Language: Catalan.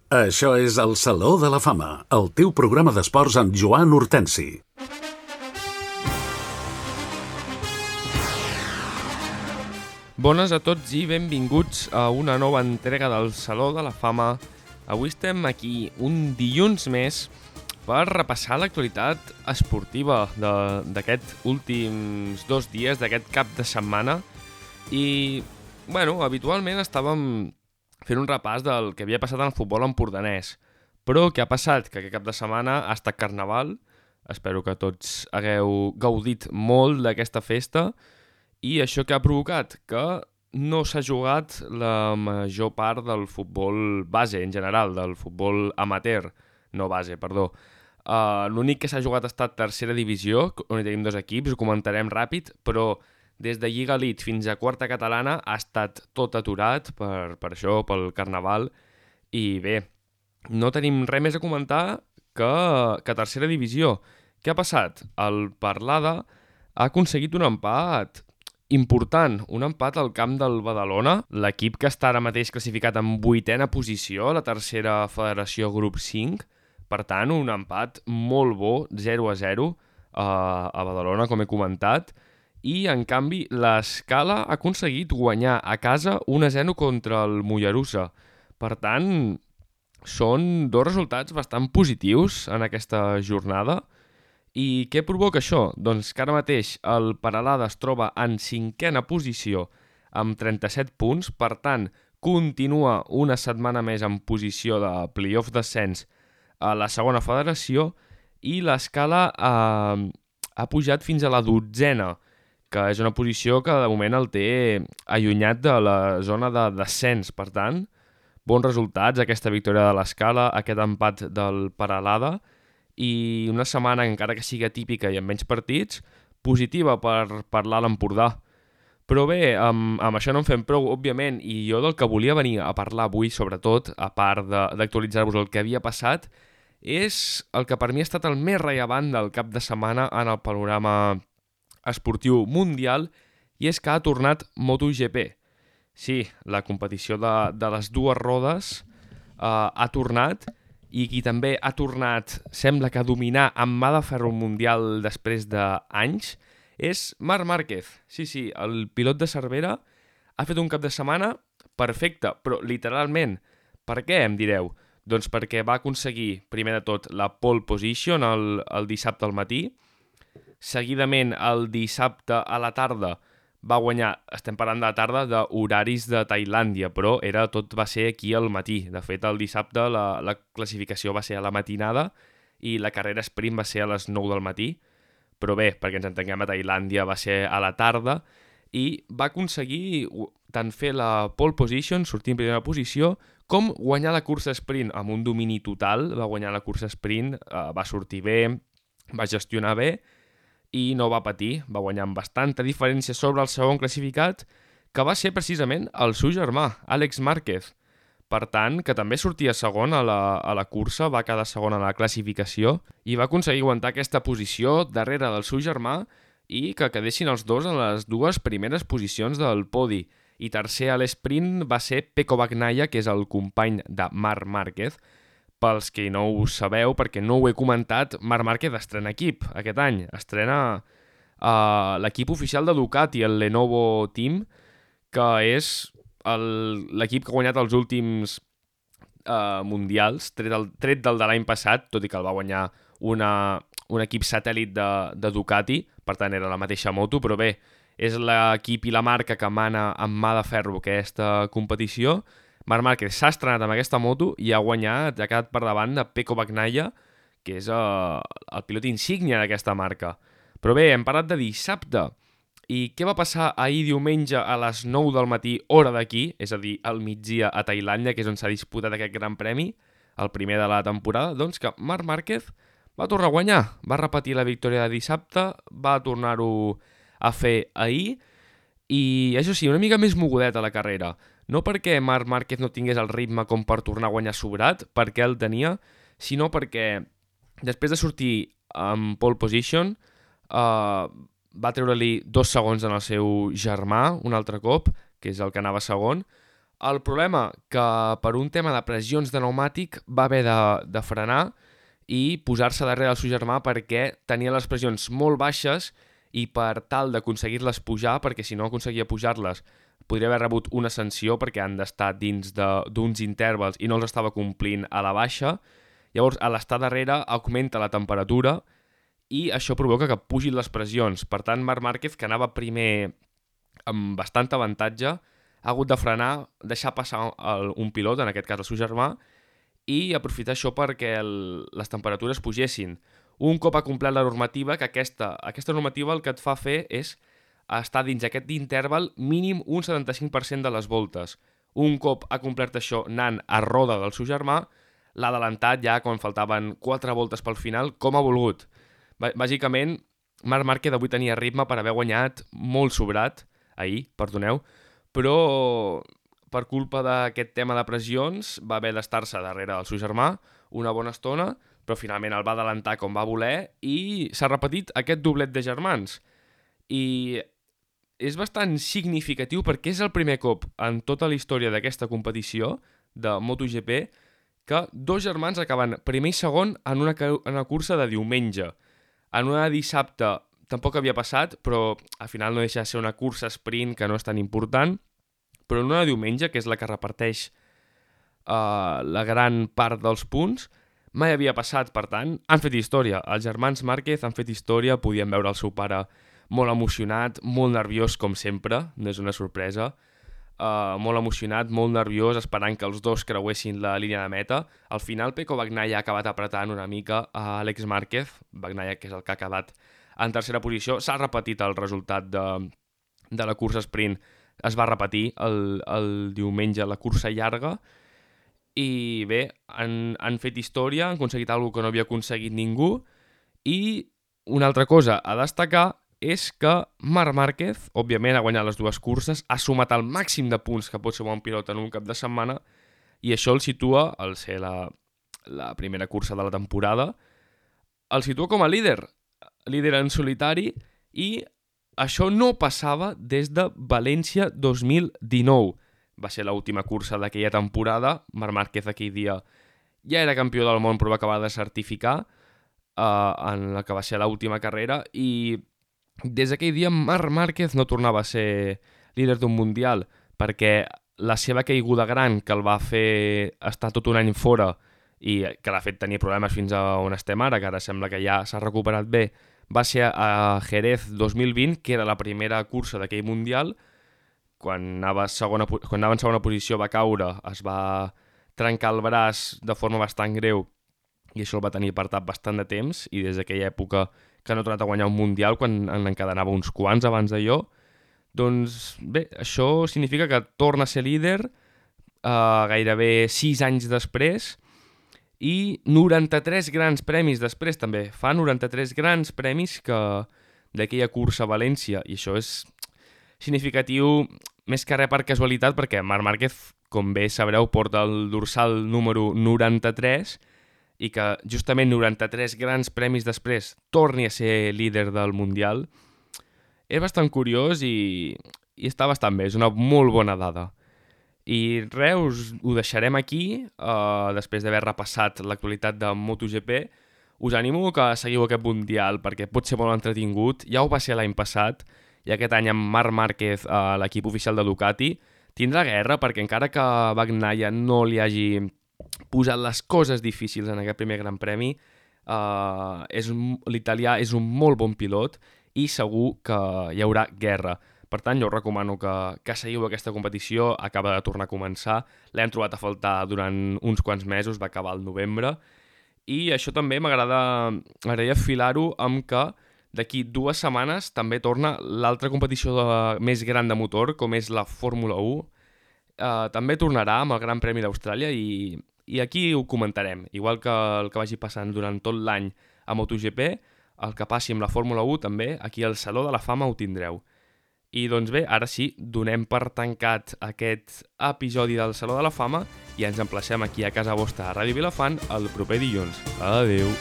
Això és el Saló de la Fama, el teu programa d'esports amb Joan Hortensi. Bones a tots i benvinguts a una nova entrega del Saló de la Fama. Avui estem aquí un dilluns més per repassar l'actualitat esportiva d'aquests últims 2 dies, d'aquest cap de setmana. I, habitualment estàvem fent un repàs del que havia passat en el futbol empordanès. Però què ha passat? Que aquest cap de setmana ha estat Carnaval. Espero que tots hagueu gaudit molt d'aquesta festa. I això què ha provocat? Que no s'ha jugat la major part del futbol base en general, del futbol amateur, no base, perdó. L'únic que s'ha jugat ha estat tercera divisió, on hi tenim 2 equips, ho comentarem ràpid, però des de Lliga Elite fins a quarta catalana ha estat tot aturat per això, pel Carnaval. I bé, no tenim res més a comentar que tercera divisió. Què ha passat? El Parlada ha aconseguit un empat important, un empat al camp del Badalona, l'equip que està ara mateix classificat en 8a posició, la tercera federació grup 5, per tant, un empat molt bo, 0-0 a Badalona, com he comentat, i en canvi l'Escala ha aconseguit guanyar a casa 1-0 contra el Mollerussa. Per tant, són 2 resultats bastant positius en aquesta jornada. I què provoca això? Doncs que ara mateix el Peralada es troba en 5a posició amb 37 punts, per tant, continua una setmana més en posició de playoff d'ascens a la segona federació i l'Escala ha pujat fins a la 12a, que és una posició que de moment el té allunyat de la zona de descens. Per tant, bons resultats, aquesta victòria de l'Escala, aquest empat del Peralada, i una setmana, encara que sigui atípica i amb menys partits, positiva per l'Alt Empordà. Però bé, amb això no en fem prou, òbviament, i jo del que volia venir a parlar avui, sobretot, a part d'actualitzar-vos el que havia passat, és el que per mi ha estat el més rellevant del cap de setmana en el panorama esportiu mundial, i és que ha tornat MotoGP. Sí, la competició de les 2 rodes ha tornat, i qui també ha tornat, sembla que a dominar amb mà de ferro mundial després d'anys, és Marc Márquez. Sí, el pilot de Cervera ha fet un cap de setmana perfecte, però literalment. Per què, em direu? Doncs perquè va aconseguir, primer de tot, la pole position el dissabte al matí. Seguidament, el dissabte a la tarda va guanyar, estem parlant de la tarda, d'horaris de Tailàndia, però tot va ser aquí al matí. De fet, el dissabte la classificació va ser a la matinada i la carrera sprint va ser a les 9 del matí. Però bé, perquè ens entenguem, a Tailàndia va ser a la tarda i va aconseguir tant fer la pole position, sortir en primera posició, com guanyar la cursa sprint amb un domini total. Va guanyar la cursa sprint, va sortir bé, va gestionar bé i no va patir, va guanyar amb bastanta diferència sobre el segon classificat, que va ser precisament el seu germà, Àlex Márquez. Per tant, que també sortia segon a la cursa, va quedar segon a la classificació i va aconseguir aguantar aquesta posició darrere del seu germà i que quedessin els dos en les 2 primeres posicions del podi. I tercer a l'esprint va ser Pecco Bagnaia, que és el company de Marc Márquez. Pels que no ho sabeu, perquè no ho he comentat, Marc Márquez estrena equip aquest any. Estrena l'equip oficial de Ducati, el Lenovo Team, que és l'equip que ha guanyat els últims mundials, tret del de l'any passat, tot i que el va guanyar un equip satèl·lit de Ducati, per tant era la mateixa moto, però bé, és l'equip i la marca que mana amb mà de ferro aquesta competició. Marc Márquez s'ha estrenat amb aquesta moto i ha guanyat, ha quedat per davant de Pecco Bagnaia, que és el pilot insígnia d'aquesta marca. Però bé, hem parlat de dissabte. I què va passar ahir diumenge a les 9 del matí, hora d'aquí, és a dir, al migdia a Tailàndia, que és on s'ha disputat aquest gran premi, el primer de la temporada? Doncs que Marc Márquez va tornar a guanyar, va repetir la victòria de dissabte, va tornar-ho a fer ahir, i això sí, una mica més mogudeta la carrera. No perquè Marc Márquez no tingués el ritme com per tornar a guanyar sobrat, perquè el tenia, sinó perquè després de sortir en pole position va treure-li 2 segons en el seu germà un altre cop, que és el que anava segon. El problema que per un tema de pressions de pneumàtic va haver de frenar i posar-se darrere del seu germà perquè tenia les pressions molt baixes i per tal d'aconseguir-les pujar, perquè si no aconseguia pujar-les podria haver rebut una sanció perquè han d'estar dins d'uns intervals i no els estava complint a la baixa. Llavors, a l'estar darrere augmenta la temperatura i això provoca que pugin les pressions. Per tant, Marc Márquez, que anava primer amb bastant avantatge, ha hagut de frenar, deixar passar un pilot, en aquest cas el seu germà, i aprofitar això perquè les temperatures pugessin. Un cop ha complert la normativa, que aquesta normativa el que et fa fer és estar dins aquest interval mínim un 75% de les voltes. Un cop ha complert això anant a roda del seu germà, l'ha adelantat ja quan faltaven 4 voltes pel final, com ha volgut. Bàsicament, Marc Márquez avui tenia ritme per haver guanyat molt sobrat, però per culpa d'aquest tema de pressions va haver d'estar-se darrere del seu germà una bona estona, però finalment el va adelantar com va voler i s'ha repetit aquest doblet de germans. I és bastant significatiu perquè és el primer cop en tota la història d'aquesta competició de MotoGP que dos germans acaben primer i segon en una cursa de diumenge. En una de dissabte tampoc havia passat, però al final no deixa de ser una cursa sprint que no és tan important, però en una de diumenge, que és la que reparteix la gran part dels punts, mai havia passat, per tant, han fet història. Els germans Márquez han fet història, podien veure el seu pare molt emocionat, molt nerviós com sempre, no és una sorpresa, molt emocionat, molt nerviós, esperant que els dos creuessin la línia de meta. Al final, Pecco Bagnaia ha acabat apretant una mica a Àlex Márquez, Bagnaia, que és el que ha acabat en tercera posició. S'ha repetit el resultat de la cursa sprint, es va repetir el diumenge la cursa llarga, i bé, han fet història, han aconseguit alguna que no havia aconseguit ningú, i una altra cosa a destacar és que Marc Márquez, òbviament, ha guanyat les dues curses, ha sumat el màxim de punts que pot ser un pilot en un cap de setmana, i això el situa, al ser la primera cursa de la temporada, el situa com a líder en solitari, i això no passava des de València 2019. Va ser l'última cursa d'aquella temporada. Marc Márquez aquell dia ja era campió del món, però va acabar de certificar en la que va ser l'última carrera, i des d'aquell dia Marc Márquez no tornava a ser líder d'un mundial, perquè la seva caiguda gran, que el va fer estar tot un any fora i que l'ha fet tenir problemes fins a on estem ara, que ara sembla que ja s'ha recuperat bé, va ser a Jerez 2020, que era la primera cursa d'aquell mundial. Quan anava en segona posició va caure, es va trencar el braç de forma bastant greu i això el va tenir apartat bastant de temps, i des d'aquella època que no ha tornat a guanyar un mundial, quan encadenava uns quants abans d'allò. Doncs bé, això significa que torna a ser líder gairebé 6 anys després, i 93 grans premis després també. Fa 93 grans premis d'aquella cursa a València, i això és significatiu més que res per casualitat, perquè Marc Márquez, com bé sabreu, porta el dorsal número 93, i que justament 93 grans premis després torni a ser líder del Mundial, és bastant curiós i està bastant bé, és una molt bona dada. I res, ho deixarem aquí, després d'haver repassat l'actualitat de MotoGP. Us animo que seguiu aquest Mundial perquè pot ser molt entretingut, ja ho va ser l'any passat, i aquest any amb Marc Márquez a l'equip oficial de Ducati tindrà guerra, perquè encara que Bagnaia no li hagi posat les coses difícils en aquest primer Gran Premi, l'italià és un molt bon pilot i segur que hi haurà guerra. Per tant, jo us recomano que seguiu aquesta competició, acaba de tornar a començar, l'hem trobat a faltar durant uns quants mesos, va acabar al novembre, i això també m'agradaria filar-ho amb que d'aquí 2 setmanes també torna l'altra competició més gran de motor, com és la Fórmula 1. També tornarà amb el Gran Premi d'Austràlia i aquí ho comentarem. Igual que el que vagi passant durant tot l'any a MotoGP, el que passi amb la Fórmula 1 també, aquí al Saló de la Fama ho tindreu. I doncs bé, ara sí, donem per tancat aquest episodi del Saló de la Fama i ens emplacem aquí a casa vostra a Ràdio Vilafant el proper dilluns. Adéu!